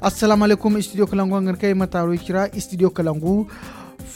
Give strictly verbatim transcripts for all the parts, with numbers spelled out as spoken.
Assalaamu alaykum, studio kalangu hangan kay mataaro cira, studio kalangu.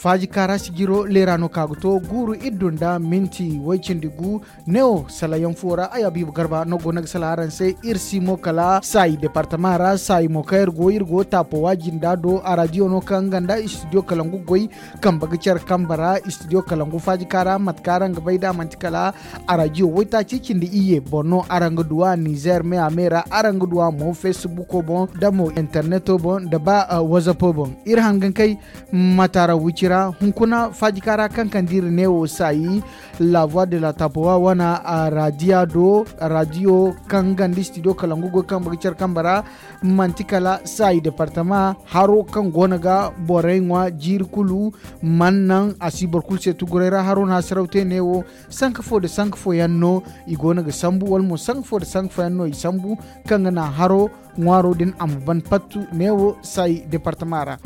Faaji kaara sijiro leera no ka ga to guuru iddu nda minti way cindi gu. Neewo salayaŋ fo ra ay abiibu garba no go no ga sala araŋ se. Iri si mo kala saayi departama ra saayi mo kaŋ iri go iri go taapo waaji nda do a raadiyo no kaŋ nga nda studio kalangu goy. Kambe ga care kambe ra studio kalangu faaji kaara mate kaŋ araŋ ga bay da manti kala a raadiyo waytaaci cindi iyye boŋ no araŋ ga du a nizer me a me ra araŋ ga du a mo facebook boŋ da mo interneto boŋ da ba whatsapp boŋ. Iri hangan kay mataara wici ra hunkuna faaji kaara kaŋ kaŋ da iri neewo saayi. La voix de la tapowa wana a raadiya do raadiyo kaŋ ganda studio kalangu goy kambe ga care kambe ra. Manti kala saayi departama haro kaŋ go no ga borey ŋwa jiiri kulu. Man naŋ a si boro kulu se tuguray ra haro no hasaraw te neewo. Sanka fo nda sanka fo yaŋ no i go no ga sambu wala mo sanka fo nda sanka fo yaŋ no i sambu kaŋ ga naŋ haro ŋwaaro din a ma ban pattu neewo saayi departama ra.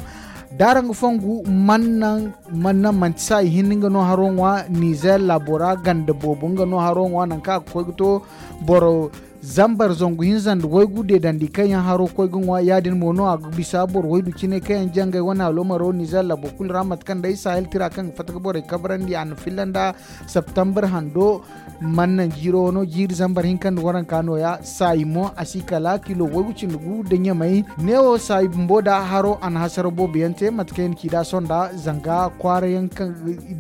Da araŋ ga fongu man naŋ manti saayi hinne nga no haro ŋwa nizer laabo ra ganda boobo nga no haro ŋwa nangu kaŋ a ga koy ga to boro zambar zangu hinza nda waygu deedandi kaŋ yaŋ haro koy ga ŋwa ya- din mo no a ga bisa boro waydu cine kaŋ yaŋ jangay wane aloomaro nizer laabo kulu ra mate kaŋ day sahel tira kaŋ ga fatta ga borey kabrandi a na filla nda septembre hando. Man naŋ jiiro wano jiiri zambar hinka nda waranka nooya saayi mo a si kala kilo waygu cindi gu nda ɲamay. Neewo saayi bumbo da haro a na hasara boobo yaŋ te mate kaŋ yaŋ ci da sonda zanga kwaara yaŋ kaŋ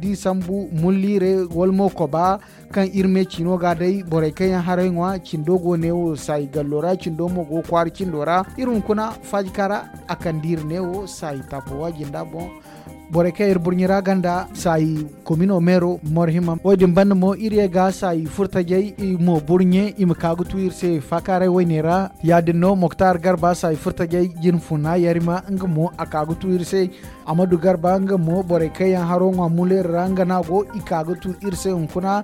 da i sambu mulliire wala mo koba kaŋ iri me ciino ga day borey kaŋ yaŋ haray ŋwa cindo go neewo saayi gallo ra cindo mo go kwaara cindo ra. Iri hunkuna faajika ra a kande iri neewo saayi taapo waaji nda boŋ. Borey kaŋ iri burɲi ra ganda saayi komino meero morhima wo- din banda mo iri ye ga saayi furtajey i mo burɲe i ma ka ga tu iri se faakaaray wayne ra. Ya- din no moktar garba saayi furtajey jin funa yarima nga mo a ka ga tu iri se. Amadu garba nga mo borey kaŋ yaŋ haro ŋwa muleeri ra nga no a go i ka ga tu iri se hunkuna.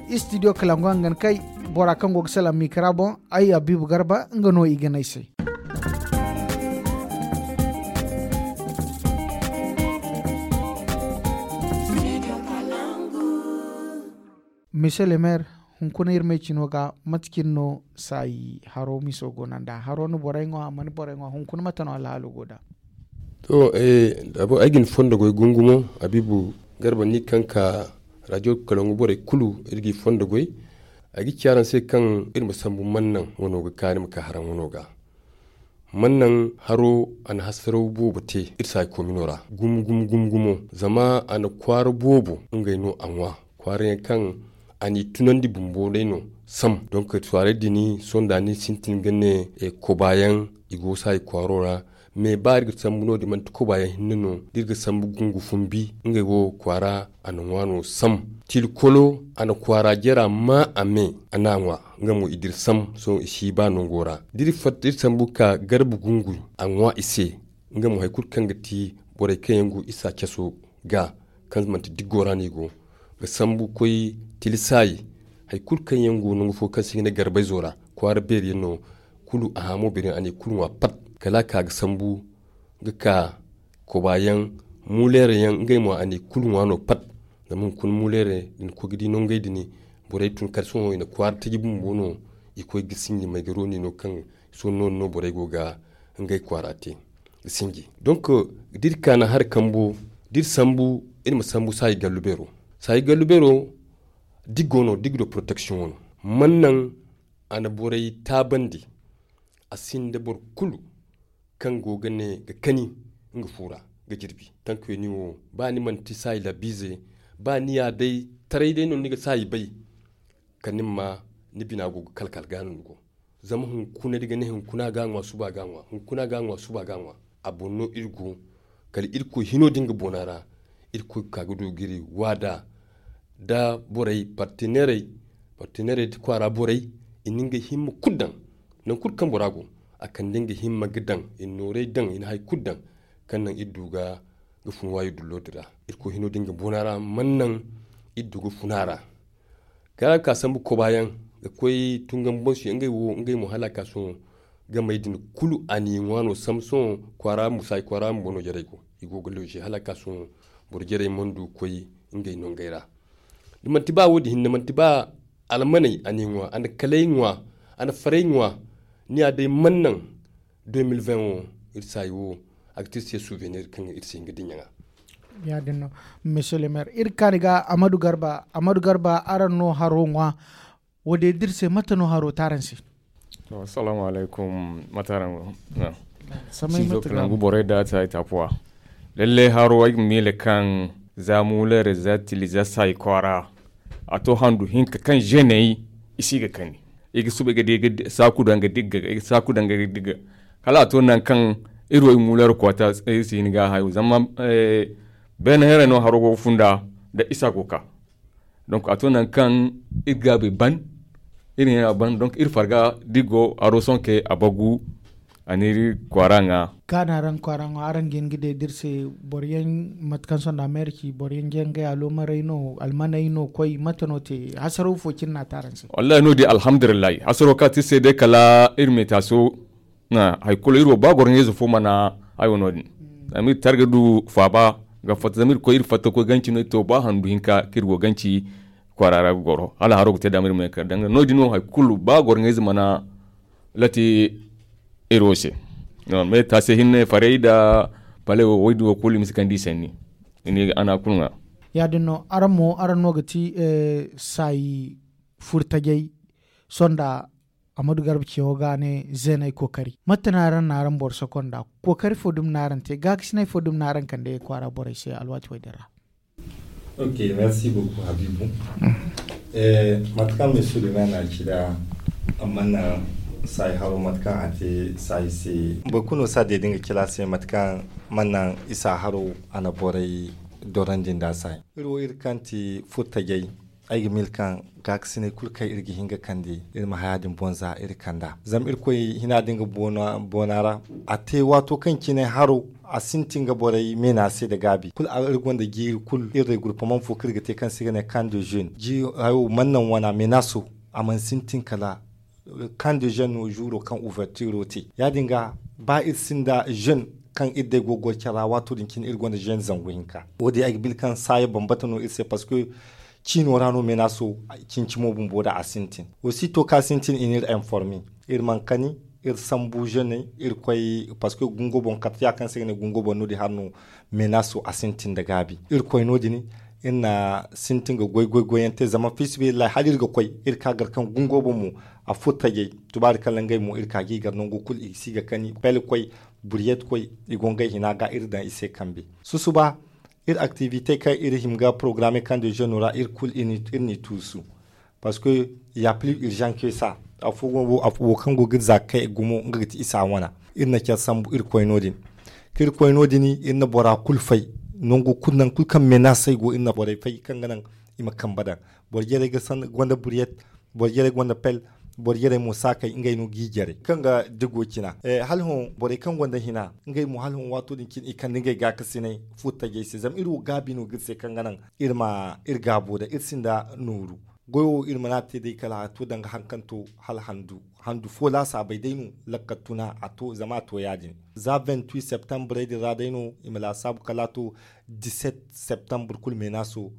Istidiyo kalangu hangan kay bora kaŋ go ga salaŋ mikra boŋ. Ay abibu garba nga no i ga ne ay se. Mise le maire, hunkuna iri me cino ga mate cine no saayi haro miso go no nd'a haro na borey ŋwa a mana borey ŋwa hunkuna mate no alhaalo go nd'a? To, ay ga ni fondo goy gungumo abibu garba ni kaŋ ka radio kalangu borey kulu iri ga i fondo goy. Ay ga ci araŋ se kaŋ iri ma sambu mannaŋ wano ga kaani ma ka haraŋ wano ga. Mannaŋ haro a na hasaraw boobo te iri saayi komino ra gumo gumo gumo gumo. Zama a na kwaara boobo ngey no a ŋwa kwaara yaŋ kaŋ a n'i tunandi bumbo day no. Sam donk kwaarey din sonda ni sintin ga ne kobayaŋ i go saayi kwaaro ra. Me ba iri ga sambu no- din manti kobayaŋ hinne no da iri ga sambu gungu fumbi ngey wo kwaara a na ŋwa no sam. Tilkolo a na kwaara jara ma a me a n'a ŋwa. Nga mo i dira sam sohõ i si ba nango ra da iri fatta iri sambu ka garba gungu a ŋwa i se. Nga mo hari kulu kaŋ ga ti borey kaŋ yaŋ go isa caso ga kaŋ manti diggo ra no i go ga sambu koy tilisaayi. Hari kulu kaŋ yaŋ go nangu fo kaŋ se i ga ne garbay zo ra kwaara beeri yaŋ no. Kulu a hamo beeri yaŋ a na i kulu ŋwa pat kala a ka ga sambu ga ka kobayaŋ muleere yaŋ ngey mo a na i kulu ŋwa no pat. Zama hunkuna muleere da ni koy ga di nongey din borey tun kala sohõ i na kwaara taji bumbo no. I koy ga sinji may ga rooni no kaŋ sohõ noodin no borey go ga ngey kwaara te ga sinji. Donk da iri ka naŋ hari kambo da iri sambu iri ma sambu saayi gallu beero. Saayi gallu beero diggo no diggo do protection wano mannaŋ a na borey taabandi. A sinda boro kulu kaŋ go ga ne ga kani nga fu ra ga jirbi. Tankuyaŋ ni wo ba ni manti saayi labbiize ba ni ya day taray day no ni ga saayi bay. Kala ni ma ni bina go ga kalkal ga no ni go. Zama hunkuna da i ga ne hunkuna ga a ŋwa suba ga a ŋwa hunkuna ga a ŋwa suba ga a ŋwa. A boŋ no iri go kala irkoy hino din ga boona ra. Irkoy ga ka ga du ga iri waada da borey parteneerey parteneerey da kwaara borey i na ngey himma kulu daŋ. Nangu kulu kaŋ bora go a kande nga himma ga daŋ i na noorey daŋ i na hari kulu daŋ. Kaŋ naŋ iri du ga fun waayo dullo din ra. Irkoy hino din ga boona ra mana naŋ iri du ga fun a ra. Kala a ga ka sambu kobayaŋ ga koy tunga ma boŋ si ngey wo ngey mo hala a ka sohõ. Gamey din kulu a n'i ŋwa no sambu sohõ kwaara bumbo saayi kwaara bumbo no jarey go i go ga looje hala a ka sohõ. Boro jarey mana du ga koy ngey nongey ra. Da manti ba wo- din hinne manti ba almaney a n'i ŋwa a na kaley ŋwa a na farey ŋwa. Ni ya day mana naŋ deux mille vingt wo iri saayi wo, a ga te iri se souvenir kaŋ iri si hin ga dinya ŋwa. Ya- din no. Monsieur le maire, iri kaani ga amadu garba amadu garba araŋ no haro ŋwa. Wo- din da iri se mate no haro te araŋ se? To assalamu alaykum. Mate araŋ go? Samay mate ga nangu borey da ta ita puwa. Lalle haro ay ga miila kaŋ za muulere za tili za saayi kwaara, a to handu hinka kaŋ zeney i si ga kani. I ga suba i ga di saaku daŋ ga digga i ga saaku daŋ ga digga. Kala a to nangu kaŋ iri wo i muulere kwaata iri si hin ga a hayo zama beene heerey no haro go ga funda. Da isa go ga ka. Donc a to nangu kaŋ iri gaabi ban iri ne a ban donc iri farga da iri go haro sohõ ke a bagu. A n'iri kwaara ŋwa. Kaana araŋ kwaara ŋwa araŋ ga hin ga day da iri se boro yaŋ mate kaŋ sohõ nda ameriki boro yaŋ ga yaŋ ga yaalo maray no almaney no koy mate no te hasaro fo cine no a te araŋ se? Wallahi no- din alhamdulillahi hasaro kaŋ a te iri se day kala iri meetaaso. Hari kulu iri wo ba goro ɲayze fo mana hayo no- din. Zama iri te hari ga du faaba ga fatta zama iri koy iri fatta ga koy ganci no iri to ba handu hinka kaŋ iri go ganci kwaara ra ga goro hala haro ga te daama iri ma ye ga kar danga no- din no hari kulu ba goro ɲayze mana lati iri wo se. Mais taasi hinne farey nda paley wo wo- din wo kulu i ma si kande i sanni. I ne a na a kulu ŋwa. Ya- din no araŋ mo araŋ no ga ti saayi furtajey sohõ nda amadu garba cewo ga ne zeeney kookari mate no araŋ na araŋ boro soko nda kookari fo dumi no araŋ te gaakasinay fo dumi no araŋ kande kwaara borey se alwaati wo- din ra? Ok, merci beaucoup habibu. Mate kaŋ monsieur le maire na a ci nd'a, a mana saayi haro mate kaŋ a te saayi se. Boro kulu no si a deedi nga cila se mate kaŋ mana naŋ isa haro a na borey dorandi nd'a saayi. Iri wo iri kaŋ ti furtajey, ay ga miila kaŋ gaakasinay kulu kaŋ iri ga hin ga kande iri ma haya din boŋ za iri kand'a zama irkoy hina din ga boona ra. A te waato kaŋ cine haro a sintin ga borey meena se nda gaabi kulu iri gonda jiiri kulu iri regroupement fo kaŋ iri ga te kaŋ se i ga ne camp de jeune jiiri hayo mana naŋ wana meena so. A mana sintin kala camp de jeune no juuro kaŋ ouverturo te ya- din ga ba iri sinda jeune kaŋ iri day go ga goy care ra waato din cine iri gonda jeune zangu hinka. Wo- din ay ga bila kaŋ saaya bambata no iri se parce que ciino ra no meena so. Cincimo bumbo da a sintin aussi to kaŋ a sintin i n'iri informi iri mana kani iri sambu jeune iri koy parce que gungo boŋ karte ya kaŋ se i ga ne gungo boŋ no- din hari no meena so a sintin nda gaabi iri koy no- din. Iri na sintin ga goy goy goy yaŋ te zama fiisabilillahi hala iri ga koy iri ka gar kaŋ gungo boŋ mo a furo tajay. Tubaari kala ngey mo iri ka ga i gar nango kulu i si ga kani pele koy buriyet koy i go ngey hina ga iri daŋ i se kambe. Susuba iri activité kaŋ iri hima ga programme kaŋ de jeune ra iri kulu iri n'i tuusu. Parce que ya plus urgent que ça. Afo wo kaŋ go ga iri za ga kay gumo nga ga ti isa wana iri na care sambu iri koy no- din. Kaŋ iri koy no- din iri na bora kulu fay nangu kulu nangu kulu kaŋ menace ay go iri na borey fay kaŋ ga naŋ i ma kambe daŋ. Boro jarey ga gonda buriyet, boro jarey gonda pel, boro jarey mo saakey ngey no g'i jare kaŋ ga digo cina. Hala hõ borey kaŋ gonda hina ngey mo hala hõ waato din cine i kande ngey gaakasinay furo tajay se zama iri wo gaabi no ga iri se kaŋ ga naŋ iri ma iri gaabo daŋ iri sinda nooru. Goyo wo iri mana te day kala a to danga hari kaŋ to hala handu handu fo laasaabey day no lakkal tuna a to zama a to ya- din. Za vingt-huit septembre din ra day no i ma laasaabu kala a to dix-sept septembre kulu menaso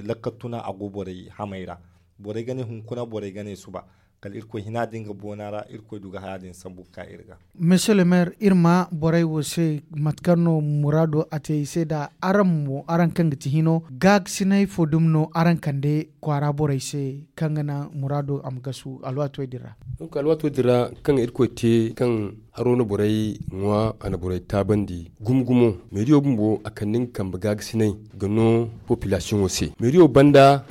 lakkal tuna a go borey hamey ra. Borey ga ne hunkuna borey ga ne suba. Kala irkoy hina din ga boona ra irkoy du ga haya din sambu ga ka iri ga. Monsieur le maire iri ma borey wo se mate kaŋ no muraado a te i se nda araŋ mo araŋ kaŋ ga ti hino gaakasinay fo dumi no araŋ kande kwaara borey se kaŋ ga naŋ muraado a ma gasu alwaato din ra? Donc alwaato din ra kaŋ irkoy te kaŋ haro na borey ŋwa a na borey taabandi gumo gumo. Meeriyo bumbo a kande nga kambe gaakasinay ga no population wo se meeriyo banda.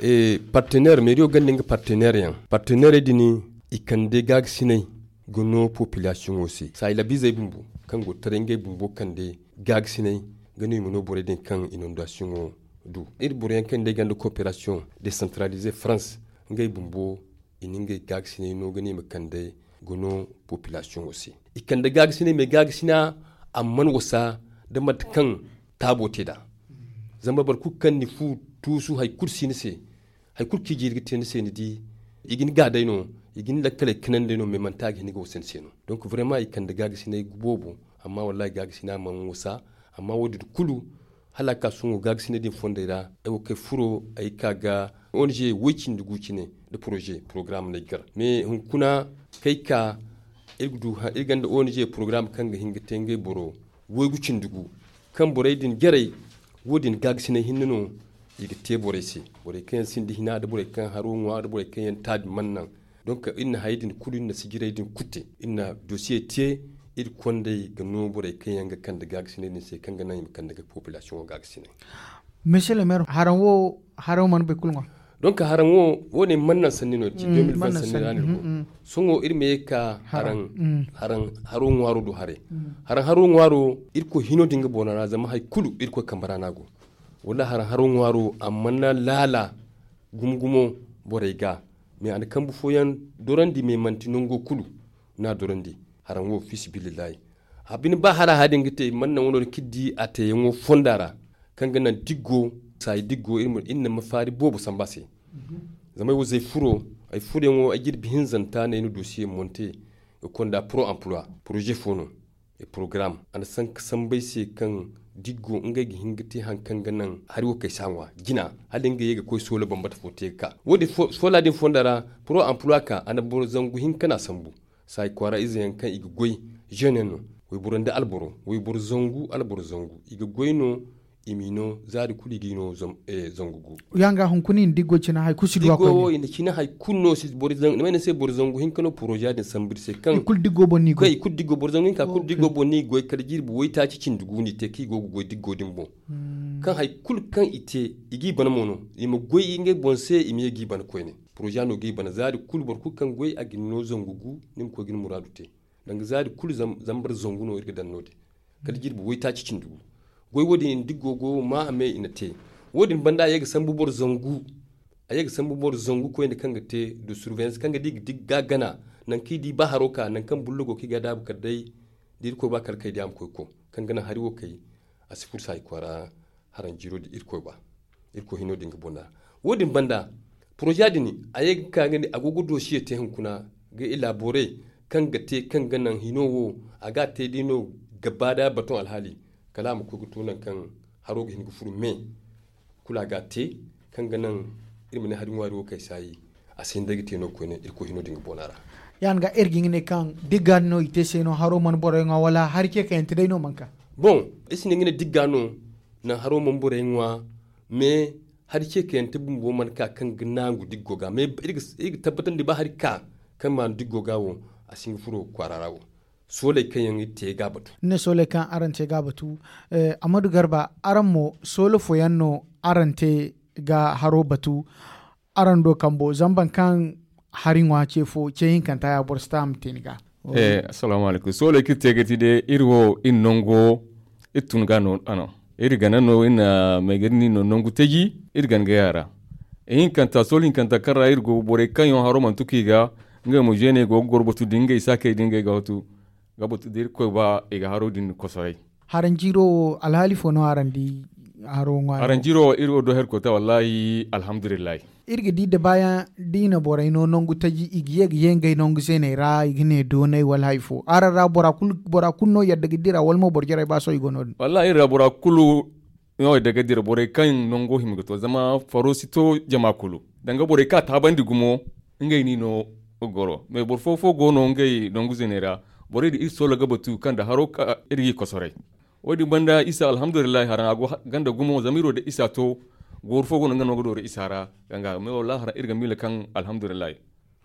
Partenaire meeriyo ganda nga partenaire yaŋ partenaire din i kande gaagasinay ga no population wo se saayi labiizey bumbo kaŋ go taray ngey bumbo kande gaagasinay ga no i ma no borey din kaŋ inondation wo du. Iri boro yaŋ kaŋ day ganda coopération décentralisée france ngey bumbo i na ngey gaagasinay no ga no i ma kande ga no population wo se. I kande gaagasinay mais gaagasina a mana wasa da mate kaŋ taabo te nd'a. Zama boro kulu kaŋ ni fu tuusu hari kulu si ni se hari kulu kaŋ i jiiri ga te ni se ni di i ga ni ga day no i ga ni lakkaley kanan day no mais manti a ga hin ga wasa ni se no. Donc vraiment i kande gaagasinay boobo amma wallahi gaagasina mana wasa. Amma wo- din kulu hala a ga ka sohõ gaagasinay din fondey ra ay wo kay furo ay ga ka ga ong way cindi gu cine nda projet programme no ay ga gar mais hunkuna kay ka Iri ga du iri gonda O N G porogaram kaŋ ga hin ga te ngey boro waygu cindi gu, kaŋ borey din jarey wo- din gaagasinay hinne no. I ga te borey se, borey kaŋ yaŋ sinda hina nda borey kaŋ haro ŋwa nda borey kaŋ yaŋ taabi mana naŋ. Donk iri na hayey din kulu iri na sijirey din kulu te, iri na dosiye te. Iri kondey ga no borey kaŋ yaŋ ga kande gaagasinay din se kaŋ ga naŋ i ma kande ga populasiyoŋo gaagasinay. Monsieur le maire, haraŋ wo haraŋ wo mana bay kulu ŋwa. Donk haraŋ wo wo- din mana naŋ sanni no ci deux mille vingt sanni ra no iri go. Sohõ iri ma ye ga ka haraŋ haro ŋwaaro do haray. Haraŋ haro ŋwaaro, irkoy hino din ga boona ra zama hari kulu irkoy kambe ra no a go. Wala haraŋ haro ŋwaaro a mana laala gumo gumo borey ga. Mais a na kambu fooyaŋ dorandi mais manti nango kulu no a dorandi. Haraŋ wo fi sabilillahi, a bine ba hara haya din ga te mana naŋ wano din kaŋ iri di a teeyaŋo fonda ra, kaŋ ga naŋ diggo saayi diggo iri na mafaari boobo sambu a se. Zama ay wo zay furo, ay furoyaŋo ay jirbi hinzanta no ay na dosiye monte ga konda pro emploi, poroze fo no. Porogaram a na sanka sambu ay se kaŋ diggo ngey ga hin ga te hari kaŋ ga naŋ hari wo kay si a ŋwa jina, hala ngey ye ga koy soola bambata fo te ga ka wo- din soola din fonda ra. Pro emploi ka a na boro zangu hinka no a sambu. Saayi kwaara ize yaŋ kaŋ i ga goy, zeene yaŋ no, wayboro nda alboro wayboro zangu alboro zangu i ga goy no. I m'i no zaari kulu i g'i no zangu gu. Yaŋ ga hunkuna i na diggo cina hari kulu si du a koyne. I na cina hari kulu no si boro zangu ni ma ay ni se boro zangu hinka no poroza din sambu iri se kaŋ i kulu diggo boŋ no i goy kala jirbi waytaaci cindi gu no i te kaŋ i go ga goy diggo din boŋ. Kaŋ hari kulu kaŋ i te i g'i bana mo no, i ma goy ngey boŋ se i ma ye g'i bana koyne. Poroza no g'i bana zaari kulu boro kulu kaŋ goy a ga ni no zangu gu. Ni ma koy ga ni muraadu te. Danga zaari kulu zambar zangu no iri ga daŋ no- din kala jirbi waytaaci cindi gu. Goy wo- din i na diggo go ma a me i na te. Wo- din banda a ye ga sambu boro zangu a ye ga sambu boro zangu koyne kaŋ ga te du surveillance kaŋ ga di ga gana nangu kaŋ i di ba haro ka nangu kaŋ bullo go kaŋ i ga a daabu kala day da irkoy ba kala kay day a ma koy ga koŋ kaŋ ga naŋ hari wo kay. A si furo saayi kwaara haraŋ jiiro da irkoy ba. Irkoy hino din ga bonna wo- din banda poroza din a ye ga ka ga ne a go ga dosiye te hunkuna ga elabore kaŋ ga te kaŋ ga naŋ hino wo a ga a te day no ga ba da batoŋ alhaali kala a ma koy ga to nangu kaŋ haro ga hin ga furo me. Kulu a ga a te kaŋ ga naŋ iri ma ne hari ŋwaari wo kay saayi a si hin day ga te no koyne irkoy hino din ga boona ra. Yaŋ ga iri ga hin ga ne kaŋ digga no i te se no haro mana borey ŋwa wala hari ce kayante day no mana ka. Boŋ iri si ne ga ne digga no naŋ haro mana borey ŋwa. Mais hari ce kayante bumbo mana ka kaŋ ga naangu diggo ga mais iri ga tabbatandi ba hari ka kaŋ maanu diggo ga wo a si hin ga furo kwaara ra wo. Sooley kaŋ yaŋ iri te ga batu. Ni ne sooley kaŋ araŋ te ga batu. Amadu garba araŋ mo soolo fooyaŋ no araŋ te ga haro batu. Araŋ do kambo zama boro kaŋ hari ŋwa ce fo ce hinkanta ya boro si ta a ma te ni ga. Assalaamu alaykum sooley kaŋ iri te ga ti day iri wo iri nango iri tun ga no a no. Iri gana no iri na may ga iri no nangu taji iri gana gay a ra. Ihinkanta sool hinkanta kaŋ ra iri go borey kaŋ yaŋ haro mana tuku i ga ngey mo zeeney go ga goro batu da ngey saakey da ngey ga batu ga batu da irkoy ba i ga haro din kosoray. Haranjiiro wo alhaali fo no araŋ di? Haro ŋwaari haranjiiro wo iri wo do herkota wallahi alhamdulillahi. Iri ga di da baayaŋ da i na borey no nangu taji i ga ye ga ye ngey nangu zeeney ra i ga ne doonay wala hari fo araŋ ra bora kulu no yadda ga dira wala mo boro jarey ba sohõ i go no- din. Wallahi iri ra bora kulu no yadda ga dira borey kaŋ nango hima ga to zama faro si to jama kulu. Danga borey kaŋ a taabandi gumo ngey no i no ga goro mais boro fo fo go no ngey nangu zeeney ra. Borey din iri soola ga batu kaŋ da haro ka iri g'i kosoray. Wo- din banda isa alhamdulillahi haraŋ a go ganda gumo zama iri wo da isa to. Gooru fo go no nga no ga dooru isa ra. Danga mais wallahi haraŋ iri ga miila kaŋ alhamdulillahi.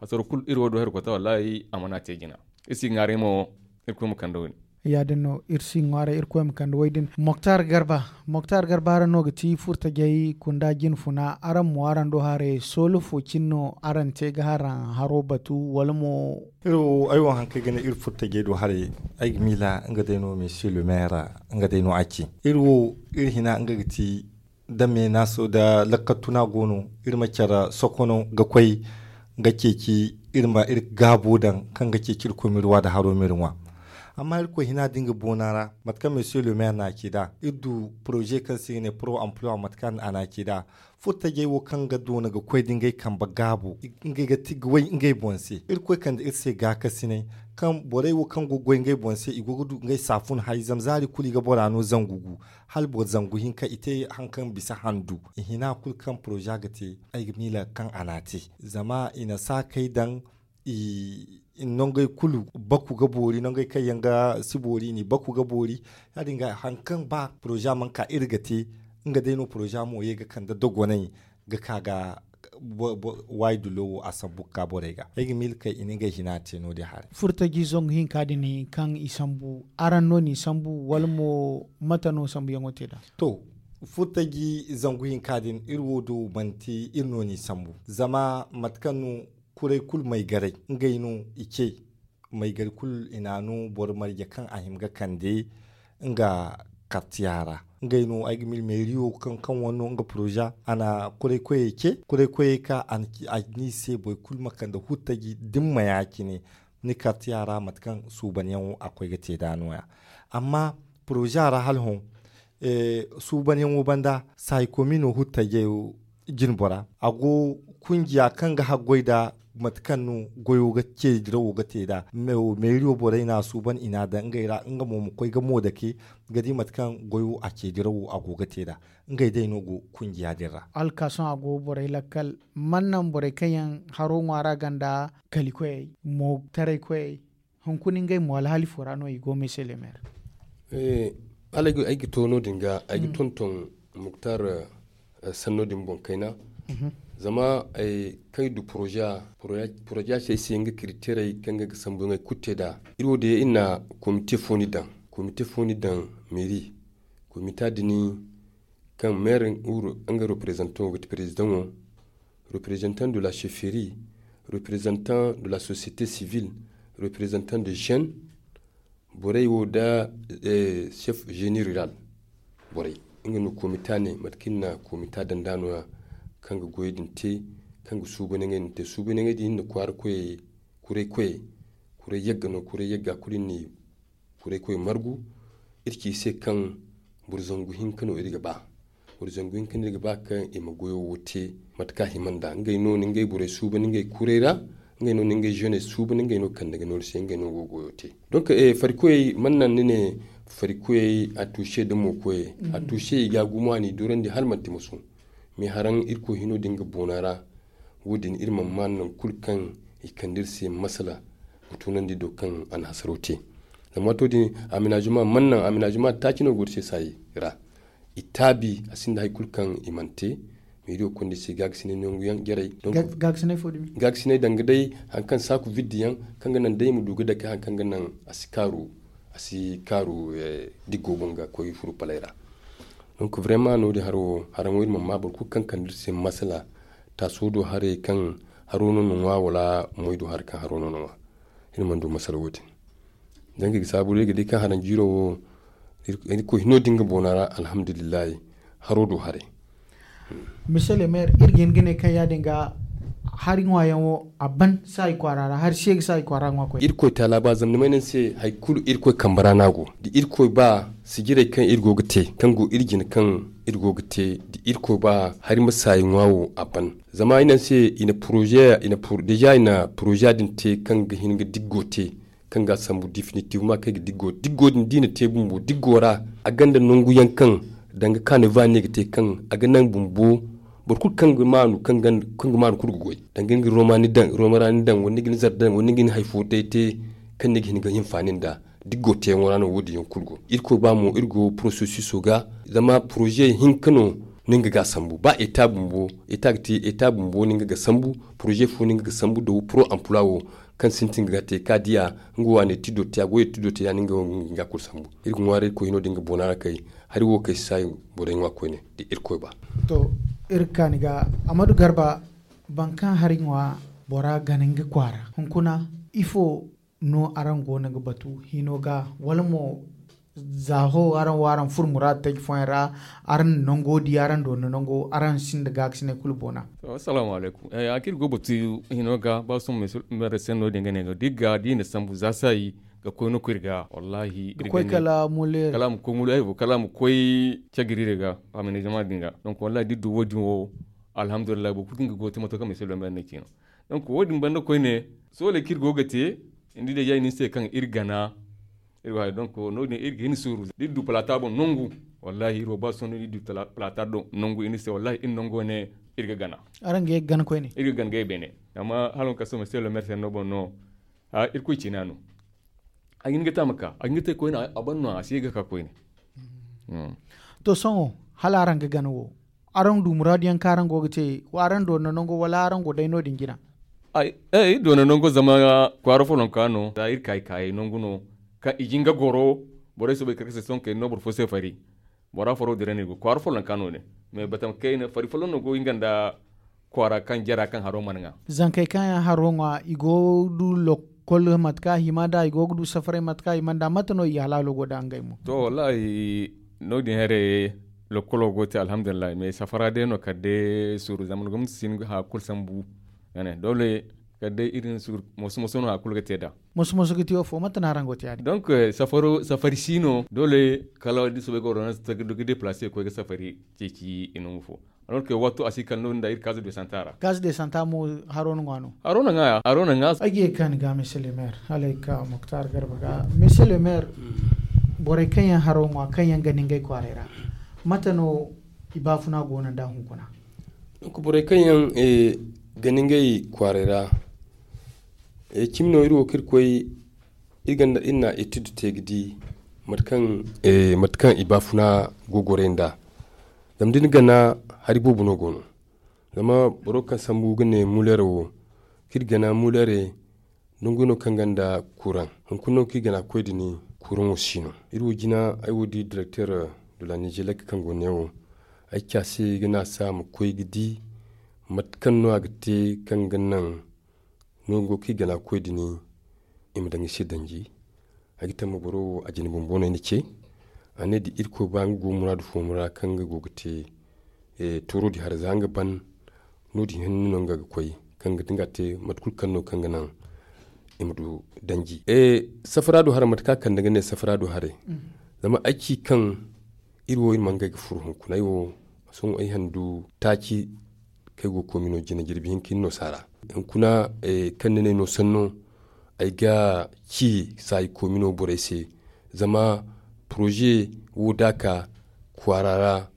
Hasaro kulu iri wo do herkota wallahi a mana te jina. Iri si ga ŋwaaray mo iri koy ma kande wo- din. Ya- din no iri si ga ŋwaaray iri koy ma kande wo- din moktar garba. Moktar garba araŋ no ga ti furtajey kunda jinfuna araŋ mo araŋ do haray soolo fo cine no araŋ te ga haraŋ haro batu wala mo? Iri wo ay wo hari kaŋ ay ga ne iri furtajey do haray ay ga miila nga day no monsieur le maire. Nga day no a ci iri wo iri hina nga ga ti da meenaaso da lakkatuna go no iri ma care sokono ga koy ga ceeci iri ma iri gaabo daŋ kaŋ ga ceeci iri koy ma iri wa da haro ma iri ŋwa. Amma irkoy hina da nga boona ra mate kaŋ monsieur le maire no a ci nd'a iri du poroze kaŋ se i ga ne pro emploi mate kaŋ a no a ci nd'a. Furtajey wo kaŋ ga doona ga koy da ngey kambe gaabo ngey ga ti ga way ngey boŋ se irkoy kande iri se gaakasinay kaŋ borey wo kaŋ go ga goy ngey boŋ se i go ga du ngey saafun hay zama zaari kulu i ga bora no zangu gu. Hala boro zangu hinka i te hari kaŋ bisa handu i hina kulu kaŋ poroza ga te. Ay ga miila kaŋ a n'a te zama i na saakey daŋ i nongey kulu baku ga boori, nongey kaŋ yaŋ ga si boori i n'i baku ga boori. Ya- din ga hari kaŋ ba poroza mana ka iri ga te, nga day no poroza mo ye ga kande dogonay ga ka ga waayi dulo wo a sambu ga ka borey ga. Ay ga miila kay i na ngey hina te no- din haray. Furtaji zangu hinka din kaŋ i sambu, araŋ no n'i sambu wala mo mate no sambuyaŋo te nd'a? To, furtaji zangu hinka din iri wo do manti iri no n'i sambu, zama mate kaŋ no kuray kulu maygaray ngey no i ce. Maygari kulu i na a no boro marje kaŋ a hima ga kande nga kartiya ra. Ngey no ay ga mil meeriyo kaŋ kaŋ wane no nga poroza a na kuray koyey ce. Kuray koyey ka a n'i se boro kulu ma kande hurtaji da ni ma ya- cine ni kartiya ra mate kaŋ suubanyaŋo a koy ga te nd'a no- ya. Amma poroza ra hala hõ suubanyaŋo banda saayi komi no hurtaji jinbora a go kunjiya kaŋ ga haggoy nda mate kaŋ no goyo ga ceedirawo ga te nd'a. Meeriyo borey no a suuban i n'a daŋ ngey ra nga mo ma koy ga mo dake ga di mate kaŋ goyo a ceedirawo a go ga te nd'a. Ngey day no go kunjiya din ra. Alkaason a go borey lakkal man naŋ borey kaŋ yaŋ haro ŋwaara ganda kalikoyey mo taray koyey hunkuna ngey mo alhali fo ra no i go mese le maire. Hala ay ga to no- din ga ay ga tonton muktar sanno din boŋ kayna. Zama kaŋ i du poroza se ay se nga kiriteerey kaŋ ga sambuyaŋey kulu te nd'a. Iri wo day iri na komite fo ni daŋ, komite fo ni daŋ meeri komita din kaŋ maire nga reprezantaŋo ga ti perezidaŋo, reprezantaŋ de la chefferie, reprezantaŋ de la société civile, reprezantaŋ de jeune borey wo nda chef génie rural borey. Nga no komita ne mate kaŋ iri na komita daŋ nd'a no- ya kaŋ ga goyey din te, kaŋ ga suubanyaŋey din te suubanyaŋey din iri na kwaara koyey, kuray koyey, kuray yagga no kuray yagga kulu iri na i kuray koy margu. Iri ci i se kaŋ boro zangu hinka no iri ga ba. Boro zangu hinka no iri ga ba kaŋ i ma goyo wo te mate kaŋ a hima nd'a ngey no na ngey borey suuban ngey kuray ra. Ngey no na ngey jeuney suuban ngey no kande ga no iri se ngey no go ga goyo te. Donc farikoyey mana naŋ ni ne farikoyey a tuuse nda mo koyey a tuuse i ga a gumo a n'i dorandi hala manti musu. Mais haraŋ irkoy hino din ga boona ra. Wo- din iri mana maan nangu kulu kaŋ i kande iri se masala ga tunandi do kaŋ a na hasaro te. Zama waato din amenazema mana naŋ amenazema taaci no go iri se saayi ra. I taabi a sinda hari kulu kaŋ i mana te. Meeri wo konda i se gaagasinay nangu yaŋ jarey. Gaagasinay danga day hari kaŋ saaku vidde yaŋ kaŋ ga naŋ day i ma du ga dake hari kaŋ ga naŋ a si kaaru a si kaaru diggo boŋ ga koy furu palay ra. Donc vraiment no- din haro haraŋo iri mana maa boro kulu kaŋ kande iri se masala taaso do haray kaŋ haro no na ŋwa wala moy do haray kaŋ haro no na ŋwa. Iri mana du masala wo- din. Zanga i ga saabu day ga di kaŋ haraŋ jiiro wo irkoy hino din ga boona ra alhamdulillahi. Haro do haray. Monsieur le maire iri ga hin ga ne kaŋ ya- din ga hari ŋwaayaŋo a ban saayi kwaara ra hari se ga saayi kwaara ŋwa koy. Irkoy taala ba zama ni may naŋ se hari kulu irkoy kambe ra no a go da irkoy ba sijirey kaŋ iri go ga te kaŋ go iri jine kaŋ iri go ga te da irkoy ba hari ma saayi ŋwa wo a ban. Zama i naŋ se i na poroze deja i na poroze din te kaŋ ga hin ga diggo te kaŋ ga a sambu definitivement kaŋ ay ga diggo diggo din da i na te bumbo diggo ra. A gonda nangu yaŋ kaŋ danga kaano ba ne ga te kaŋ a ga naŋ bumbo boro kulu kaŋ ga maanu kaŋ ga maanu kulu ga goy danga ni ga romani daŋ romani daŋ wala ni ga ni zar daŋ wala ni ga ni hari fo day te kaŋ ni ga hin ga hinfaani nd'a. Diggo teyaŋo ra no wo- din yaŋ kulu go irkoy ba mo iri go processuso ga. Zama poroze hinka no no nga ga a sambu ba eta bumbo eta ga te eta bumbo no nga ga sambu poroze fo no nga ga sambu da wo pro emploi wo kaŋ sintin ga te ka diya nga waane tiddo te a goyo tiddo te ya no nga wo nga kulu sambu. Iri ga ŋwaaray irkoy hino da nga boona ra kay hari wo kay si saayi borey ŋwa koyne da irkoy ba. To iri ga kaani ga amadu garba boro kaŋ hari ŋwa bora gana nga kwaara hunkuna ifo no araŋ go no ga batu hino ga wala mo za ho araŋ wo araŋ furo muraadu taji fooyaŋ ra araŋ na nango di araŋ doona nango araŋ sinda gaakasinay kulu boona. Assalamu alaykum. A kaŋ iri go batu hino ga ba sohõ mere se no- din ga ne ga da iri ga da iri na sambu za saayi ga koy no koy iri ga wallahi iri ga koy kala mule kala a ma koy mule ay wo kala a ma koy cagiri iri ga a ma ne jama din ga. Donc wallahi da iri du wo- din wo alhamdulillahi boro kulu kaŋ ga go ga te mato kaŋ mere se no mere ne ciino. Donc wo- din banda koyne sooley kaŋ iri go ga te ni di day ya i ne ni se kaŋ iri gana. Iri wo hari donc no- din iri ga hin suuru da iri du palata boŋ nangu. Wallahi iri wo ba sohõ no iri du palata boŋ nangu iri ne se wallahi iri nango ne iri ga gana. Araŋ ga ye ga gana koyne iri ga gana ga ye beene. Amma hala wo kaŋ sohõ mere se no boŋ no. Irkoy cina no. A ga hin ga te a ma ka a ga hin ga te koyne. A ban no a si ga ka koyne. To sohõ, hala araŋ ga gana wo, araŋ du muraadu yaŋ kaŋ araŋ go ga te, wa araŋ doona nango wala araŋ go day no- din jina? Ay doona nango zama kwaara follonka no za iri ka i kaayey nangu no. Kaŋ i jin ga goro borey soobay kar ga se sohõ kayna no boro fo se fari. Bora faro dira no i go kwaara follonka no- din. Mais batama kayna fari folloŋ no go nga nda kwaara kaŋ jara kaŋ haro mana ŋwa. Zankey kaŋ yaŋ haro ŋwa i go ga du lokkol mate kaŋ a hima nd'a i go ga du safaray mate kaŋ a hima nd'a mate no i halaalo go nd'a ngey mo? To wallahi, no- din haray lokkolo go ga te alhamdulillahi mais safara day no kala day suuru zama ni gomnati si hin ga haya kulu sambu. Doole kala day iri na suuru moso moso no haya kulu ga te nd'a. Moso moso ga te wo fo mate no araŋ go ga te ya- din? Donc safari si no doole kala da soobay ga ordonnance ga deplace ga koy ga safari ceeci i nangu fo. Alors que waato a si kala no- din da iri kaza de santa ra. Kaza de santa mo haro na ŋwa no? Haro na ŋwa ya haro na ŋwa. Ay ga ye ga ka ni ga monsieur le maire hala ay ga ka moktar garba ga monsieur le maire. Borey kaŋ yaŋ haro ŋwa kaŋ yaŋ gana ngey kwaaray ra, mate no i baafuna go no nd'a hunkuna? Donc borey kaŋ yaŋ gana ngey kwaaray ra, cimi no iri wo kaŋ iri koy iri na etude te ga di mate kaŋ i baafuna go goray nd'a. Zama da ni gana hari boobo no go no. Zama boro kaŋ sambu ga ne muleere wo kaŋ iri gana muleere nangu no kaŋ gonda kuraŋ. Hunkuna no kaŋ iri gana ga koy din kuraŋo si no. Iri wo jina ay wo di directeur de la nigelec kaŋ go ne wo ay ci a se ga ne a se a ma koy ga di mate kaŋ no a ga te kaŋ ga naŋ nango kaŋ i gana ga koy din i ma daŋ i se danji. Ay ga tamma boro wo a jina bumbo no ay na ce. A ne da irkoy ba nga go muraadu fooyaŋ ra kaŋ nga go ga te tooro din haray za nga ban no- din hinne no nga ga koy kaŋ ga te mate kulu kaŋ no kaŋ ga naŋ i ma du danji. Safara do haray mate kaŋ a kande ga ne safara do haray. Zama ay ci kaŋ iri wo iri mana ngey ga furo hunkuna ay wo sohõ ay handu taaci kaŋ ay go ga koy mino jina jirbi hinka hinne no saara. Hunkuna kaŋ ni ne no sanno ay ga ci saayi koomino borey se. Zama poroze wo da a ka kwaara ra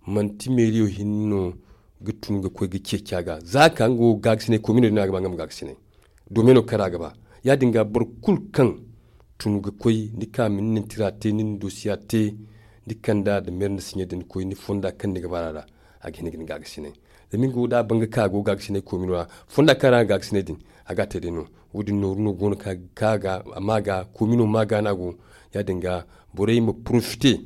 manti meeriyo hinne no ga tun ga koy ga ceeci a ga za a ka nga wo gaagasinay koomino din no a ga ba nga ma gaagasinay. Doome no kaŋ ra a ga ba ya- din ga boro kulu kaŋ tun ga koy ni ka ma ni na ni tira te ni na ni dosiya te ni kand'a da meeri nda siɲe din koy ni fonda kaŋ ni ga bara ra. A ga hin ga ni gaagasinay zama nga wo da a ban ga ka a go gaagasinay koomino ra fonda kaŋ ra a ga gaagasinay din a ga a te day no. Wo- din nooru no go no kaŋ a ga ka ga a ma ga koomino ma ga no a go. Ya- din ga borey ma porofite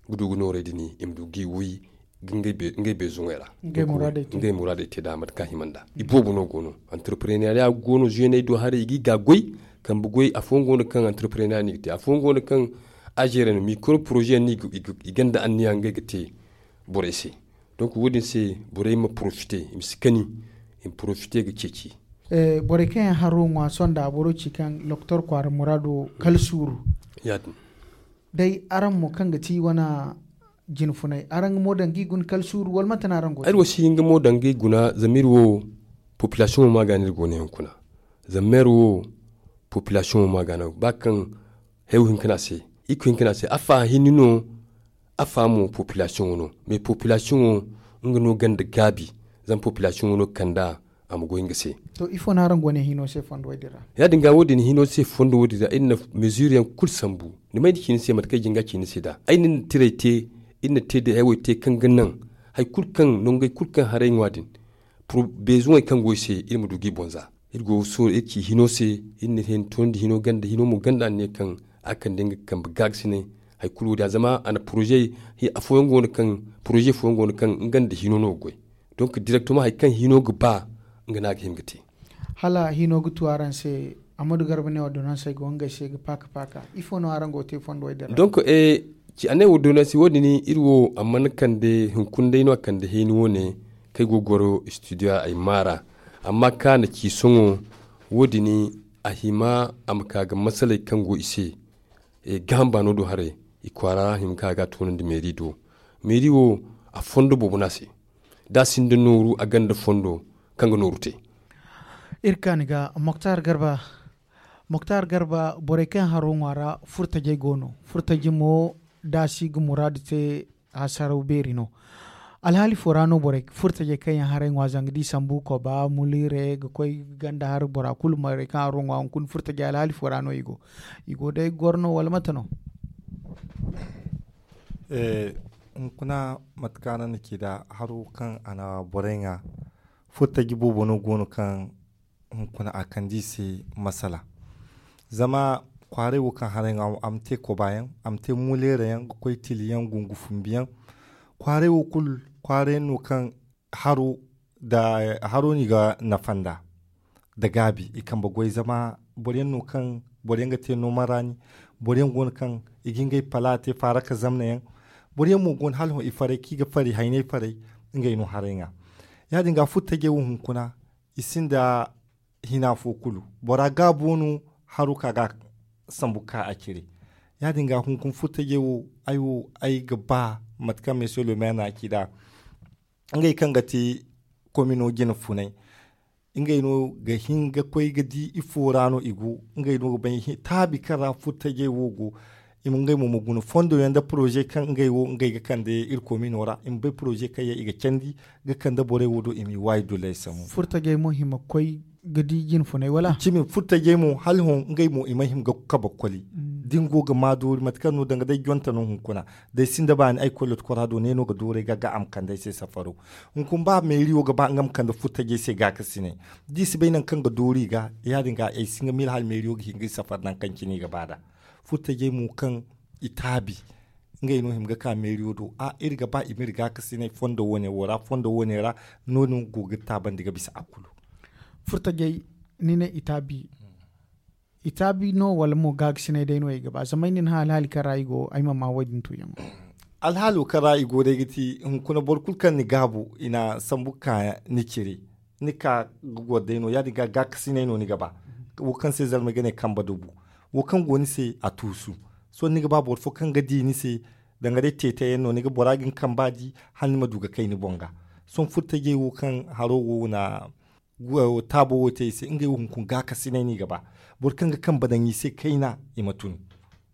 ga du ga noorey din i ma du ga i woy ga ngey beezuŋey ra. Ngey muraadey te nd'a mate kaŋ a hima nd'a i boobo no go no. Entreprenariya go no zeeney do haray i ga i ga goy kambe goy afooyaŋ go no kaŋ entreprenariya no i ga te afooyaŋ go no kaŋ a zeere no mikoro poroze yaŋ no i gonda anniya ngey ga te borey se. Donc wo- din se borey ma porofite i ma si kani i ma porofite ga ceeci. Borey kaŋ yaŋ haro ŋwa sohõ nda boro ci kaŋ lokotor kwaara muraado kala suuru. Ya- din day araŋ mo kaŋ ga ti wane jine funay araŋ ga mo daŋ ga i guna kala suuru wala mate no araŋ go ay wo si hin ga mo daŋ ga i guna zama iri wo populasiyoŋo ma ga no iri go no hunkuna. Zama meero wo populasiyoŋo ma ga no ba kaŋ hew hinka no a se. Iko hinka no a se afa hinne no afa mo populasiyoŋo no mais populasiyoŋo nga no gonda gaabi. Zama populasiyoŋo no ga kand'a a ma goy nga se. To ifo no araŋ go ne hino se fondo wo- din ra? Ya- din ga wo- din hino se fondo wo- din ra iri na mezure yaŋ kulu sambu. Ni may ni ci ni se mate kaŋ ay jin ga ci ni se nd'a ay na ni na tiray te iri na te day ay wo ay te kaŋ ga naŋ hari kulu kaŋ nangey kulu kaŋ haray ŋwa din beezuŋey kaŋ go ay se iri ma du ga i boŋ za. Iri go ga sooro iri ci hino se iri na hino toonandi hino ganda hino mo ganda a ne kaŋ a kande nga kambe gaagasinay. Hari kulu wo- din a zama a na poroze afooyaŋ go no kaŋ poroze fooyaŋ go no kaŋ nga nda hino no ga goy. Donc direktoma hari kaŋ hino ga ba nga no a ga hima ga te. Hala hino ga tu araŋ se amadu garba ne ordonnansey go ngey se ga paaka paaka ifo no araŋ go ga te fondo wo- din ra? Donc a ne ordonnansi wo- din iri wo a mana kande hunkuna day no a kande heeni wo- ne kaŋ ay go ga goro studio ra ay maara. Amma kaŋ a na ci sohõ wo- din a hima a ma ka ga masaley kaŋ go i se gaham baano do haray i kwaara ra a hima ka ga a toonandi meeri do. Meeri wo a fondo boobo no a se da a sinda nooru a gonda fondo kaŋ ga nooru te. Iri kaani ga moktar garba moktar garba borey kaŋ haro ŋwa ra furtajey go no furtaji mo da a si ga muraadu te hasaraw beeri no. Alhaali fo ra no borey furtajey kaŋ yaŋ haray ŋwa zanga da i sambu koba muliire ga koy ganda har bora kulu marey kaŋ haro ŋwa hunkuna furtajey alhaali fo ra no i go? I go day goro no wala mate no? Hunkuna mate kaŋ araŋ na ci nd'a haro kaŋ a na borey ŋwa, furtaji boobo no go no kaŋ hunkuna a kande i se masala. Zama kwaaray wo kaŋ haray ŋwa a ma te koba yaŋ, a ma te muleera yaŋ ga koy tili yaŋ gungu fumbi yaŋ. Kwaaray wo kulu kwaaray yaŋ no kaŋ haro n'i ga nafa nd'a nda gaabi i kambe goy zama boro yaŋ no kaŋ boro yaŋ ga te nooma raani. Boro yaŋ go no kaŋ i ga ngey pala te faaraka zamna yaŋ. Boro yaŋ mo go no hala hõ i faray kaŋ i ga fari haynay faray. Ngey no haray ŋwa ya- din ga furtajey wo hunkuna i sinda hina fo kulu. Bora gaabo no haro ka ga sambu ka a cire. Ya- din ga hunkuna furtajey wo ay wo ay ga ba mate kaŋ meeso lomeer na a ci nd'a ngey kaŋ ga te komino jine funay. Ngey no ga hin ga koy ga di ifo ra no i go. Ngey no ga bay taabi kaŋ ra furtajey wo go. I ma ngey mo ma guna fondo yaŋ nda poroze kaŋ ngey wo ngey ga kande iri komino ra i ma bay poroze kaŋ yaŋ i ga candi ga kande borey wo do i m'i waayi dulley sambu. Furtajey mo hima koy ga di jine funay wala? Cimi furtajey mo hala hõ ngey mo i ma hima ga kabe koli. Da ni go ga ma doori mate kaŋ no danga day jonte no hunkuna. Da ay sinda baani ay koy lotkora do ne no ga doori ay ga ga a ma kande ay se safaro. Hunkuna ba meeriyo ga ba nga ma kande furtajey se gaakasinay. Da i si bay nangu kaŋ ga doori i ga ya- din ga ay si nga miila hala meeriyo ga hin ga i safar nangu kaŋ cine i ga ba nd'a. Furtajey mo kaŋ i taabi ngey no hima ga ka meeriyo do a iri ga ba i ma iri gaakasinay fondo wo- ne wo ra fondo wo- ne ra. No- din go ga taabandi ga bisa a kulu. Furtajey ni ne i taabi i taabi no wala mo gaakasinay day no i ga ba zama ay na ni hã alhaali kaŋ ra i go ay ma ma wo- din tuuyaŋo. Alhaalo kaŋ ra i go day ga ti hunkuna boro kulu kaŋ ni gaabu i na sambu ga ka ni cire. Ni ka ga goro day no ya- din ga gaakasinay no ni ga ba. Wo kaŋ se zarmey ga ne kambe dubu wo kaŋ go ni se a tuusu. Sohõ ni ga ba boro fo kaŋ ga di ni se danga day teetay yaŋ no ni ga bora ga ni kamba di hala ni ma du ga kay ni boŋ ga. Sohõ furtajey wo kaŋ haro wo na taabo wo te i se ngey wo hunkuna gaakasinay no i ga ba. Boro kaŋ ga kambe daŋ i se kayna i ma tun.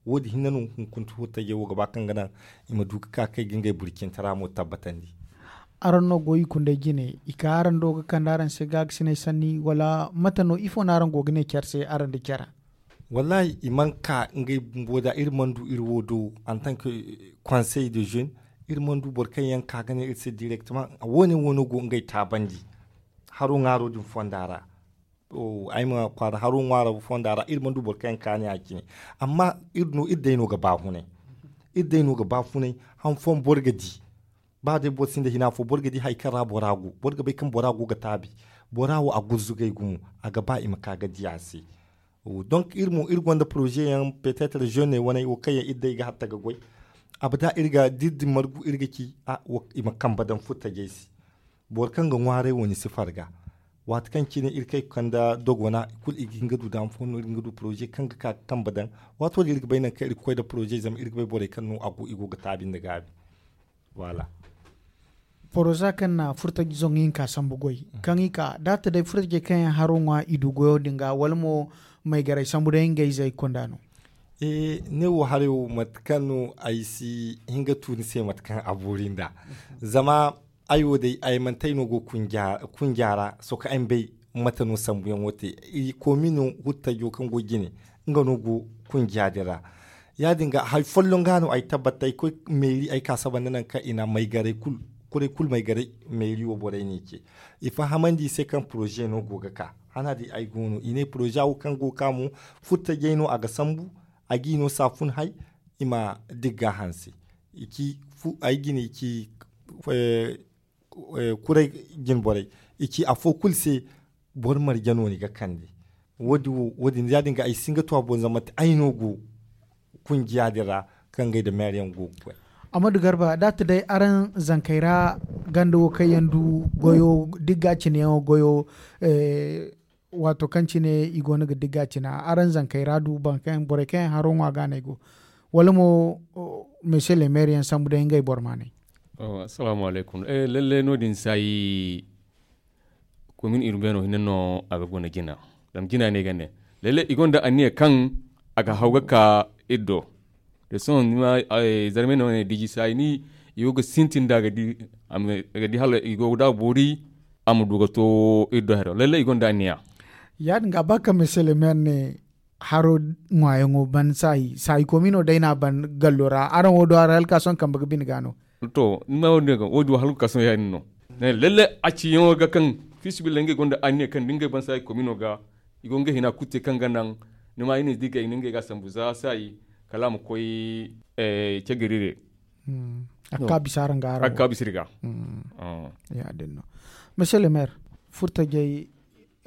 Wo- din hinne no hunkuna furtajey wo ga ba kaŋ ga naŋ i ma du ga ka kay ga ngey burcintara mo tabbatandi. Araŋ no go i kunday jine i ka araŋ do ga kande araŋ se gaakasinay sanni wala mate no ifo no araŋ go ga ne care se araŋ da care? Wallaahi i mana ka ngey bumbo da iri mana du iri wo do en tant que conseil de jeune. Iri mana du boro kaŋ yaŋ ka ga ne iri se direktemaŋ wo- ne wo- no go ngey taabandi. Haro ŋwaaro din fonda ra ay ma kwaara haro ŋwaaro fonda ra iri mana du boro kaŋ yaŋ ka ne ya- cine. Amma iri no iri day no ga ba funay. Iri day no ga ba funay. Han fooyaŋ boro ga di ba day boro sinda hina fo boro ga di hari kaŋ ra bora go boro ga bay kaŋ bora go ga taabi. Bora wo a gurzugay gumo a ga ba i ma ka ga di a se. Donc iri mo iri gonda poroze yaŋ petetre jeune waney wo kaŋ yaŋ iri day ga hatta ga goy. Abada iri ga da iri din margu iri ga ci i ma kambe daŋ furtajey se. Boro kaŋ ga ŋwaaray wo ni si farga. Waati kaŋ cine iri kay ga kande dogona i kulu i ga hin ga du daama fo no iri ga hin ga du poroze kaŋ ga ka ga kambe daŋ. Waato din iri ga bay nangu kaŋ iri ga koy nda poroze zama iri ga bay borey kaŋ no a go i go ga taabi nda gaabi. Voilà. Poroza kaŋ na furtaji zoŋ hinka sambu goy kaŋ i ka da a ta day furtajey kaŋ yaŋ haro ŋwa i du goyo din ga wala mo maygaray sambu day ngey zey konda no? Ne wo haray wo mate kaŋ no ay si hin ga tu ni se mate kaŋ a boori nd'a. Zama ay wo day ay manti ay no go kunja ra sohõ kaŋ ay ma bay mate no sambuyaŋo te. Koomino hurtajo kaŋ go jine nga no go kunja din ra. Ya- din ga hari folloŋ ga no ay tabbat ay koy meeri ay ka saba nda nangu kaŋ i na maygaray kulu kuray kulu maygaray meeri wo borey no i ce. I fahamandi i se kaŋ poroze no go ga ka hana din ay go no i ne poroze wo kaŋ go ga ka mo furtajey no a ga sambu. A g'i no saafun hay i ma digga hanse. Ay jine i ci kuray jinborey i ci afo kulu se. Boro marje no ni ga kande wo- din ya- din ga ay si hin ga tu a boŋ zama manti ay no go kunjiya din ra kaŋ ngey nda meeri yaŋ go ga koy. Amadu garba da a ta day araŋ zankey ra ganda wo kaŋ yaŋ du goyo digga cine yaŋo goyo. Waato kaŋ cine i go no ga digga cina araŋ zankey ra du borey kaŋ yaŋ haro ŋwa ga no ay go wala mo? Mese le meeri yaŋ sambu day ngey boro maanay. Assalamu alaykum. Lalle no- din saayi komin urbain no hinne no a ga guna jina. Zama jina no i ga ne lalle i gonda anniya kaŋ a ga haw ga ka iri do. Da sohõ ni ma zarmey no ne diji saayi ni i go ga sintin da ga di hala i go ga da boori a ma du ga to iri do haro lalle i gonda anniya. Ya- din ga ba ka meselemiyar ne haro ŋwayaŋo ban saayi saayi komi no day no a ban gallo ra araŋ wo do haro hala ka sohõ kambe ga bine ga no. To ni ma wo- din wo- din wo hala ka sohõ ya- din no lalle a ciyaŋo ga kaŋ fiisabilillahi ngey gonda anniya kaŋ da ngey ban saayi komi no ga i go ngey hina kulu te kaŋ ga naŋ ni ma i ne da i ga i ne ngey ga a sambu za saayi kala a ma koy cagirire. A ga ka bisa araŋ ga araŋ ga ka bisa iri ga. Ya- din no. Monsieur le maire, furtajey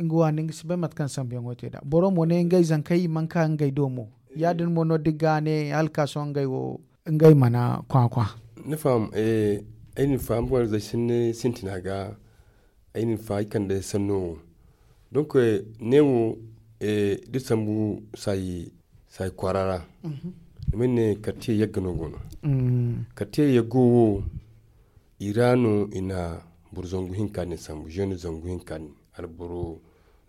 nga waani nga si bay mate kaŋ sambuyaŋo te nd'a boro mo ne ngey zankey i mana ka ngey do mo. Ya- din mo no da i ga ne hala ka sohõ ngey wo ngey mana kwakwa. Ni faham? Ay na ni faham borey zey sintina ga ay na ni faham ay kande sanno wo. Donc ne wo da sambu saayi kwaara ra ni ma ne kartiye yagga no go no. Kartiye yaggo wo i ra no i na boro zangu hinka din sambu jeune zangu hinka din alboro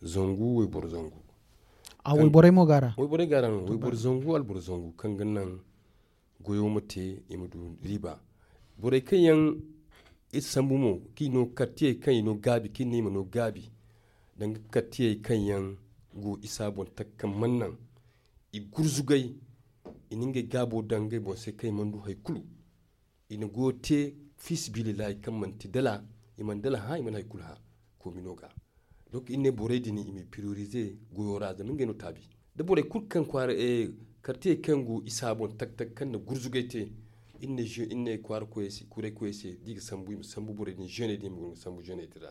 zangu wayboro zangu. A wayborey mo ga ra? Wayborey ga ra no wayboro zangu alboro zangu kaŋ ga naŋ goyo ma te i ma du riiba. Borey kaŋ yaŋ iri sambu mo kaŋ i no kartiyey kaŋ i no gaabi kaŋ i ne i ma no gaabi danga kartiyey kaŋ yaŋ go isa boŋ taka kaŋ mana naŋ i gurzugay i na ngey gaabo daŋ ngey boŋ se kaŋ i mana du hari kulu. I na goyo te fiisabilillahi kaŋ manti dala i mana dala hã i mana hari kulu hã. Koomino ga donc iri ne borey din i ma i priorize goyo ra zama ngey no taabi da borey kulu kaŋ kwaara kartiyey kaŋ go isa boŋ tag tag kaŋ na gurzugay te. Iri ne kwaara koyey se kuray koyey se da i ga sambu i ma sambu borey din jeuney din i ma guna ga sambu jeuney din ra.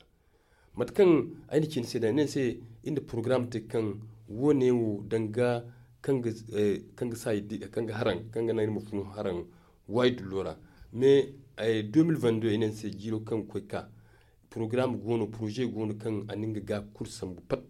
Mate kaŋ ay na ci ni se da ay ne ni se iri na porogaram te kaŋ wo- ne wo danga kaŋ ga saayi kaŋ ga haraŋ kaŋ ga naŋ iri ma funu haraŋ waayi dullo ra. Mais deux mille vingt-deux ay ne ni se jiiro kaŋ ga koy ga ka porogaram go no poroze go no kaŋ a na nga ga kulu sambu pat.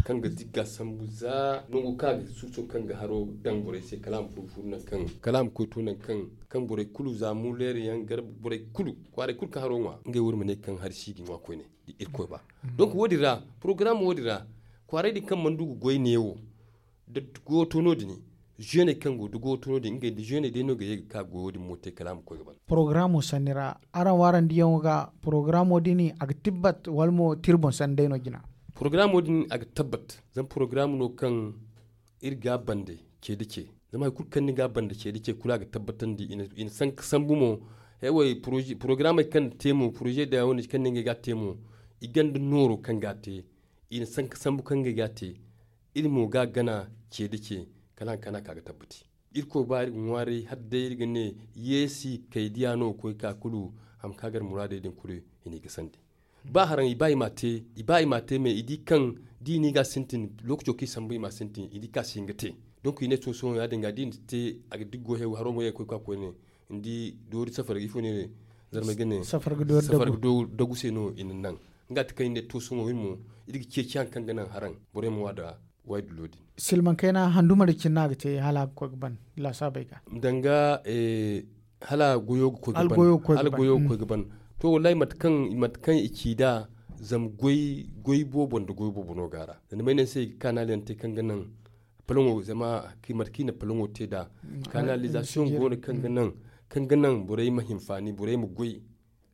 Kaŋ ga zigga sambu za nango kaŋ a ga suuso kaŋ ga haro daŋ borey se kala a ma furu furu nangu kaŋ kala a ma koy to nangu kaŋ borey kulu za muleeri yaŋ gar borey kulu kwaaray kulu kaŋ haro ŋwa ngey wo iri ma ne kaŋ hari si ga ŋwa koyne. Irkoy ba donc wo- din ra porogaram wo- din ra kwaaray din kaŋ mana du ga goy neewo da goyo to no- din. Zeeney kaŋ go da goyo to no- din ngey da zeeney day no ga ye ga ka goyo din mo te kala a ma koy ga ban. Porogaramo sanni ra araŋ wo araŋ diyaŋo ga porogaramo din a ga tibbat wala mo tira boŋ sanni day no jina? Porogaramo din a ga tabbat zama porogaram no kaŋ iri ga a bande ce da ce. Zama hari kulu kaŋ ni ga a bande ce da ce kulu a ga tabbatandi i na sanka sambu mo. Heway porogaramey kaŋ ni te mo poroze da wane kaŋ ni ngey ga a te mo i ganda nooro kaŋ ga a te i na sanka sambu kaŋ ngey ga a te. Iri mo ga a gana ce da ce kala hari kaŋ a ka ga tabbati. Irkoy ba iri ga ŋwaaray hala day iri ga ne yeesi kay diya no ga koy ga ka kulu. Hari kaŋ a gar muraadey din kulu i n'i ga sandi ba haraŋ i ba i m'a te i ba i m'a te me i di kaŋ da i n'i ga a sintin lookaco kaŋ i sambu i m'a sintin i di kaŋ a si hin ga te. Donk i ne to sohõ ya- din ga da i na te a ga diggo haro mo ye ga koy ga ka koyne. Ni di doori safar ga ifo ne ne zarmay ga ne safar ga doori dagu se no i na naŋ. Nga ti kaŋ i ne to sohõ iri mo iri ga ceeci hari kaŋ ga naŋ haraŋ borey ma ŋwa da waydullo din. Silmaŋ kayna handuma da cine no a ga te hala a ga koy ga ban laasaabey ga. Danga hala goyo ga koy ga ban to wallahi mate kaŋ i ci nd'a zama goy boobo nda goy boobo no go a ra. Zama ni ma ay ne ni se kanal yaŋ te kaŋ ga naŋ palaŋo zama mate kaŋ i na palaŋo te nd'a kanalizasiyoŋ go no kaŋ ga naŋ borey ma hinfaani borey ma goy.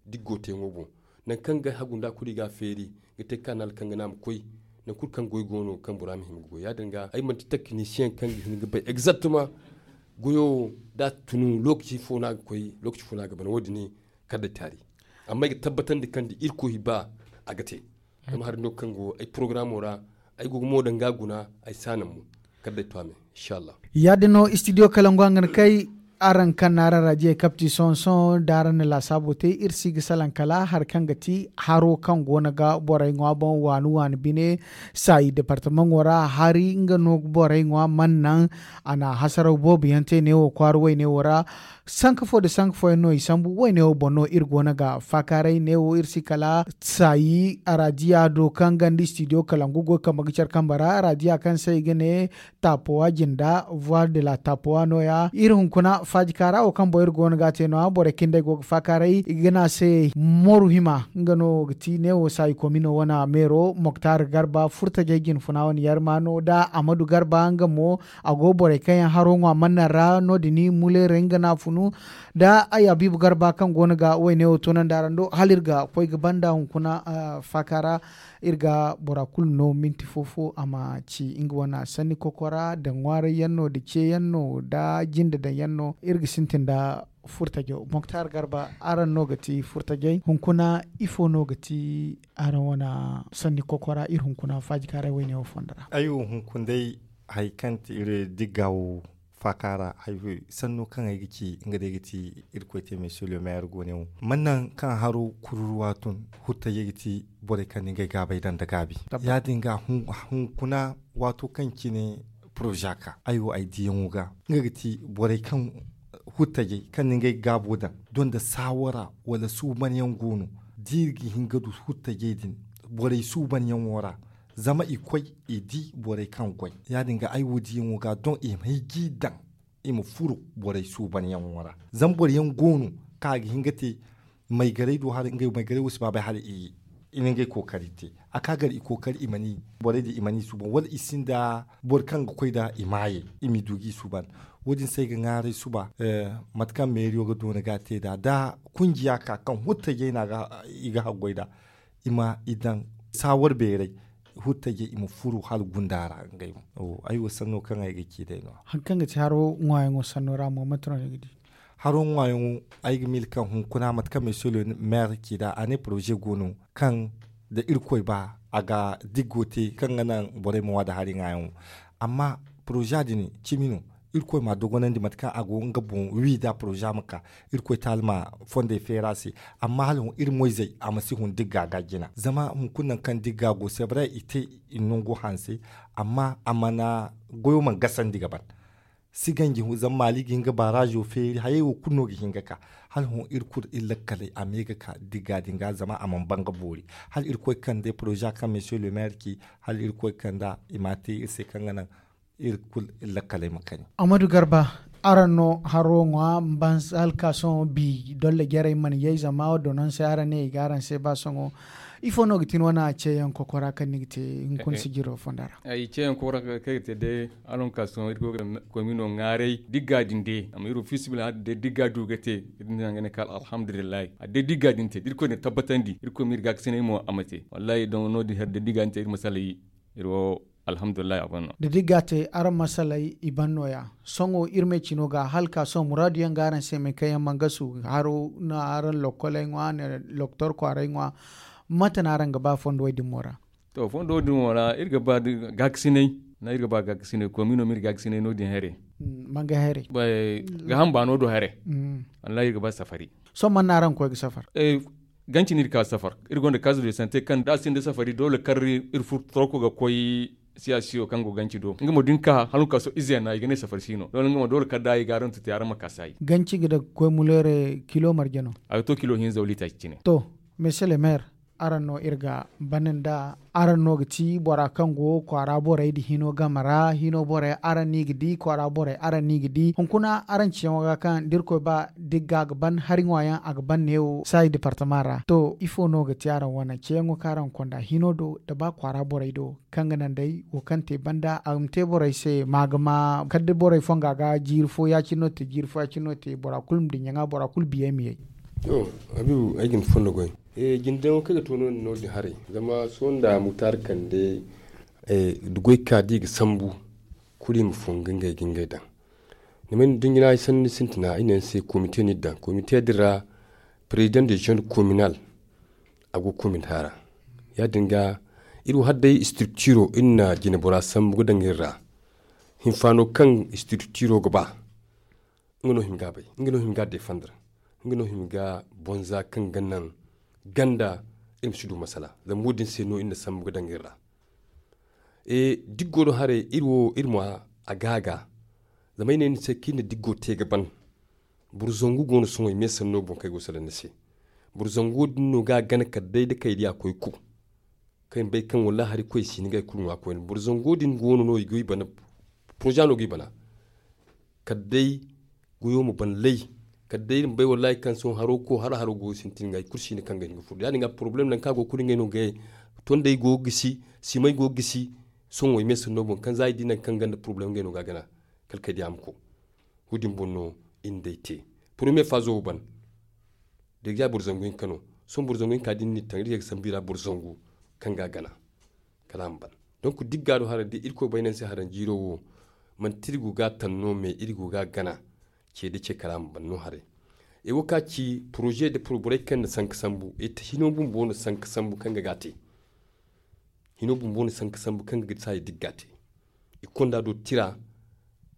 Diggo teeŋo boŋ nangu kaŋ ga hagu nd'a kulu i ga a feeri ga te kanal kaŋ ga ne a ma koy. Nangu kulu kaŋ goy go no kaŋ bora ma hima ga goy ya- din ga ay manti taknisiyeŋ kaŋ ga hin ga bay egzaktama. Goyo wo da a tunu lookaci fo no a ga koy lookaci fo no a ga ban wo- din kala day taari. Amma ay ga tabbatandi kaŋ da irkoy ba a ga te. Zama hari no kaŋ go ay porogaramo ra ay go ga mo daŋ ga a guna ay si a naŋ mo. Kala day to a me inshallah. Ya- din no istidiyo kalangu a ga ni kay. Araŋ kaŋ na araŋ raajiyey kapti sohõ sohõ da araŋ na laasaabo te iri si ga salaŋ kala hari kaŋ ga ti haro kaŋ go no ga borey ŋwa boŋ waani waani bine. Saayi departamaŋo ra hari nga no ga borey ŋwa mana naŋ a na hasaraw boobo yaŋ te neewo kwaara wayne wo ra. Sanka fo nda sanka fooyaŋ no i sambu wayne wo boŋ no iri go no ga faakaaray neewo iri si kala saayi araadiya do kaŋ ganda istidiyo kalangu goy kambe ga care kambe ra araadiya kaŋ se i ga ne taapowa jinda voire de la taapowa no- ya iri hunkuna. Faaji kaara wo kaŋ boŋ iri go no ga a te no- ya borey kaŋ day go ga faakaaray i ga ne a se moru hima nga no ga ti neewo saayi koomino wane meero moktar garba furtajey jinfuna wane yarma no nda amadu garba nga mo a go borey kaŋ yaŋ haro ŋwa mannaŋ ra no- din muleerey nga no a funu nda ay abiibu garba kaŋ go no ga wayne wo toonandi araŋ do hala iri ga koy ga banda hunkuna faakaara. Iri ga bora kulu no minti fo-fo a ma ci nga wane sanni kokora nda ŋwaaray yaŋ no nda ce yaŋ no nda jinde daŋ yaŋ no iri ga sintin nda furtajo moktar garba araŋ no ga ti furtajey hunkuna ifo no ga ti araŋ wane sanni kokora iri hunkuna faajikaaray wayne wo fondo ra. Ay wo hunkuna day hari kaŋ ti iri digga wo faaka ra sanno kaŋ ay ga ci nga day ga ti irkoy te monsieur le maire go ne wo mannaŋ kaŋ haro kururuwa tun huttajey ga ti borey kaŋ na ngey gaabay daŋ nda gaabi. Ya- din ga hunkuna waato kaŋ cine poroza ka ay wo ay diyaŋo ga nga ga ti borey kaŋ huttajey kaŋ na ngey gaabo daŋ doŋ nda saawara wala suubanyaŋ go no da iri ga hin ga du huttajey din borey suubanyaŋo ra zama i koy i di borey kaŋ goy ya- din ga ay wo diyaŋo ga doŋ i ma ay g'i daŋ i ma furo borey suubanyaŋo ra. Zama boro yaŋ go no kaŋ a ga hin ga te maygaray do haray ngey maygaray wo si ba bay hala i na ngey kookari te a ka gar i kookari i mana i borey din i mana i suuban wala i sinda boro kaŋ ga koy nd'a i maayey i m'i du g'i suuban. Wo- din se ay ga ŋwaaray suba mate kaŋ meeriyo ga doona ga a te nd'a da kunjiya ka kaŋ huttajey no i ga haggoy nd'a i ma i daŋ saawar beeray huttajey i ma furo hala gunda ra ngey mo. Ay wo sanno kaŋ ay ga ci day no- ya hari kaŋ ga ci haro ŋwaayaŋo sanno ra mo mate no ni ga di? Haro ŋwaayaŋo ay ga miila kaŋ hunkuna mate kaŋ monsieur le maire ci nd'a a ne poroze go no kaŋ da irkoy ba a ga diggo te kaŋ ga naŋ borey ma ŋwa nda hari ŋwaayaŋo. Amma poroza din cimi no irkoy m'a dogonandi mate kaŋ a go nga boŋ wi nd'a poroza ma ka irkoy taali ma fondey feeri a se. Amma hala hõ iri moyzey a ma si hun digga ga jina zama hunkuna nangu kaŋ digga go se bare i te i nango hanse. Amma a mana goyo mana gasandi ga ban si ganji zama maali ga hin ga baarazo feeri hayey wo kulu no ga hin ga ka hala hõ iri kulu iri lakkaley a me ga ka digga din ga zama a mana ban ga boori hala irkoy kande poroza kaŋ monsieur le maire ci hala irkoy kanda i m'a te iri se kaŋ ga naŋ iri kulu iri lakkaley ma kani. Amadu garba, araŋ no haro ŋwa mba hala ka sohõ bi dolla jarey mana yay zama wo donanse araŋ ne i ga araŋ se ba sohõ ifo no ga ti ni wane ceeyaŋ kokora kaŋ ni ga te hunkuna sijiro fonda ra? Ay ceeyaŋ kokora kaŋ ay ga te day hala hunkuna sohõ iri go ga koy mino ŋwaaray digga din day amma iri wo fiisabilillahi hala day digga du ga te iri din day a ga ne kala alhamdulillahi hala day digga din te da irkoy na tabbatandi irkoy ma iri gaakasinay mo a ma te wallahi don no- din hari day digga din te iri masalay iri wo alhamdulillahi a ban no. Da digga te araŋ masalay i ban no- ya sohõ iri me cino ga hala ka sohõ muraadu yaŋ ga araŋ se me kaŋ yaŋ mana gasu haro no araŋ lokkoley ŋwa ne loktor kwaaray ŋwa mate no araŋ ga ba fondo wo- din mo ra? To fondo wo- din mo ra iri ga ba gaakasinay no- iri ga ba gaakasinay komi no ma iri gaakasinay no- din haray. Manga haray? Gaaham baano do haray. Wallahi iri ga ba safari. Sohõ man no araŋ ga koy ga safar? Ganci no iri ka safar iri gonda kazu de sante kaŋ da a sinda safari doole kar iri furo toroko ga koy siyasiyo kaŋ go ganci do nga mo da ni ka hala ni ka sohõ ize no i ga ne safari si no doole nga mo doole kar da i ga araŋ tuti araŋ ma ka saayi. Ganci ga daga koy muleere kilo marje no? A ga to kilo hinza wala itaaci cine. To, monsieur le maire, araŋ no iri ga bana nda araŋ no ga ti bora kaŋ go kwaara borey nda hino game ra hino borey araŋ no i ga di kwaara borey araŋ no i ga di hunkuna araŋ ciyaŋo ga kaŋ da irkoy ba digga ga ban hari ŋwaayaŋ a ga ban neewo saayi departama ra to ifo no ga ti araŋ wane ceeyaŋo kaŋ araŋ ga konda hino do nda ba kwaara borey do kaŋ ga naŋ day wo kaŋ te banda a ma te borey se ma ga ma kala da borey fonga ga jiiri fo ya- cine no te jiiri fo ya- cine no te bora kulu ma dinya ŋwa bora kulu biyey ma yay. To, habiibu ay ga ni fondo goy. Jindeyaŋo kaŋ ay ga to no- din haray zama sohõ nda muktar kande da goy ka da i ga sambu kulu i ma fongu ngey ga ngey daŋ. Ni ma ay na da ni jina ay sanni sintina ay ne ni se komite no iri daŋ komite din ra president de jeune communal a go komin haara. Ya- din ga iri wo hala day structuro iri na jinebora sambu ga daŋ iri ra. Hinfaano kaŋ structuro ga ba nga no hima ga a bay, nga no hima ga a defandar, nga no hima ga bonza kaŋ ga naŋ ganda iri ma si du masala. Zama wo- din se no iri na sambu ga daŋ iri ra. Diggo do haray iri wo iri ma a gaaga. Zama ay ne ni se kaŋ iri na diggo te ga ban. Boro zangu go no sohõ i me sanno boŋ kaŋ ay go ga salaŋ ni se. Boro zango din no ga a gana kala day da kay diya koy ku kaŋ ay ma bay kaŋ wallahi hari koy si ni ga hari kulu ŋwa koyne boro zango din go no no i go i bana. Poroza no ga i bana kala day Goyo ma ban lay. Kala day iri ma bay wallahi kaŋ sohõ haro go haro haro go sintin ga i kulu si ne kaŋ ga hin ga furo ya- din ga poroblem nangu kaŋ a go kulu ngey no ga ye. Tondey go ga gisi, simey go ga gisi. Sohõ i me sanno boŋ kaŋ za i di nangu kaŋ ganda poroblem ngey no ga a gana. Kala kay day a ma koy. Wo- din boŋ no iri na day te. Poromiye faazo wo ban. Da ga ya boro zangu hinka no. Sohõ boro zangu hinka da ni na i taŋ iri ga sambu i ra boro zangu kaŋ ga a gana. Kala a ma ban. Donk digga do haray da irkoy bay no ni se haranjiiro wo. Manti iri go ga a taŋ no me iri go ga a gana. Ce da ce kala a ma ban no haray. E wo ka ci poroze nda poroborey kaŋ na sanka sambu e ta hino bumbo no sanka sambu kaŋ ga ga a te. Hino bumbo no sanka sambu kaŋ ga ga saaya digga te. I konda do tira.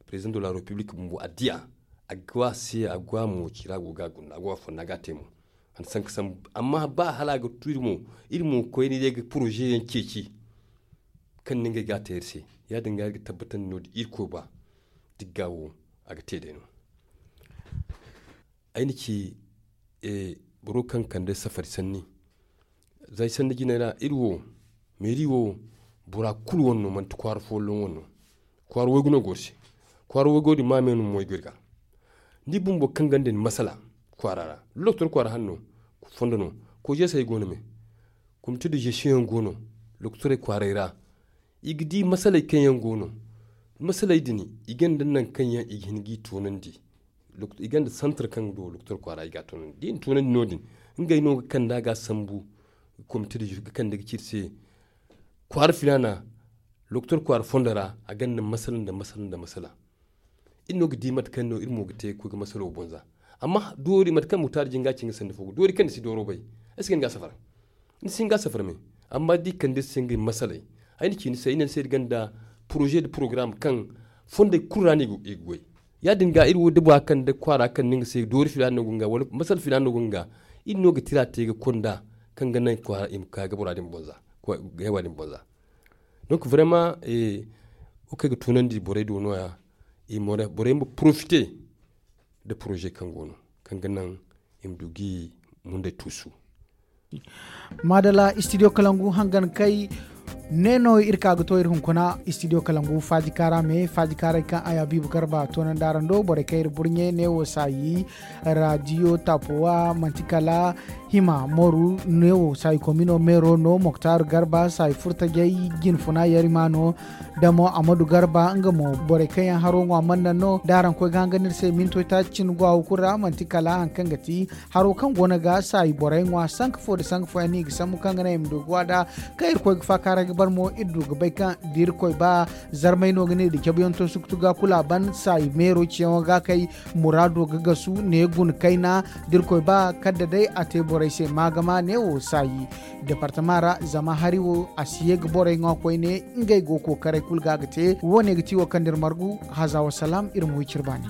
President de la republique bumbo a diya. A go a se a go a mo ci ra go ga a gunda a go a fonda ga a te mo. A na sanka sambu amma ba hala a ga tu iri mo. Iri mo koyne day ga poroze yaŋ ceeci kaŋ no ngey ga a te iri se. Ya- din ga iri ga tabbatandi no- din irkoy ba. Digga wo a ga te day no. Ay na ci boro kaŋ kande safari sanni. Za ay sanni jinay ra iri wo meeri wo bora kulu wane no manti kwaara folloŋ wane no. Kwaara waygu no go iri se. Kwaara waygo din ma me no ma waygu iri ga. Ni bumbo kaŋ ganda ni masala kwaara ra. Doktor kwaara hanno fondo no. Kojeesey go no me. Komite de gestion yaŋ go no. Doktorey kwaaray ra. I ga di masaley kaŋ yaŋ go no. Masaley din i gonda nangu kaŋ yaŋ i ga hin ga i toonandi. I gonda santar kaŋ do doktor kwaara i ga a toonandi da i na toonandi no- din. Ngey no ga kande a ga a sambu. Komite din ga kande ga ci iri se. Kwaara filaana doktor kwaara fondo ra a gonda masala nda masala nda masala. Iri no ga di mate kaŋ no iri mo ga te ga koy ga masalo boŋ za. Amma doori mate kaŋ mutaari jinga ci nga sanda fo ga doori kaŋ ni si dooro bay. Ay si ga ni ga safara. Ni si hin ga safara me. Amma da i kande iri se ngey masaley. Ay na ci ni se ay ne ni se iri gonda poroze nda porogaram kaŋ fondey kulu ra no i ga goy. Ya- din ga iri wo da bora kaŋ da kwaara kaŋ no nga se doori filaana no go nga wala masala filaana no go nga. Iri no ga tira te ga konda kaŋ ga naŋ kwaara i ma ka ga bora din boŋ za. Donk vrema wo kaŋ ay ga tunandi borey do no- ya. Borey ma porofite nda poroze kaŋ go no kaŋ ga naŋ i ma du ga i mundey tuusu. Maadalla istidiyo kalangu hangan kay. Ne no iri ka ga to iri hunkuna istidiyo kalangu faaji kaara me faaji kaaray kaŋ ay habiibu garba toonandi araŋ do borey kaŋ iri burɲe ne wo saayi. Raadiyo tapuwa manti kala hima moru ne wo saayi komino meero no moktar garba saayi furtajey jinfuna yarima no. Damo amadu garba nga mo borey kaŋ yaŋ haro ŋwa manna no da araŋ koy ga hangan iri se mintoy taaci cine go a wo kulu ra manti kala hari kaŋ ga ti haro kaŋ go no ga saayi borey ŋwa sanka fo nda sanka fooyaŋ no i ga sambu kaŋ ga naŋ i ma du ga wa nd'a. Kaŋ irkoy ga faakaaray ga bare mo iri du ga bay kaŋ da irkoy ba zarmay no ga ne da cabuyaŋ to suktu ga kulu a ban saayi meero ciyaŋo ga kay. Muraado ga gasu ne guna kayna da irkoy ba kala da day a te borey se maagama ne wo saayi departama ra zama hari wo a si ye ga borey ŋwa koyne. Ngey go kookaray kulu ga ga te wo- ne ga ti wo kaŋ da iri margu haza wasalaam iri ma wi cire baani.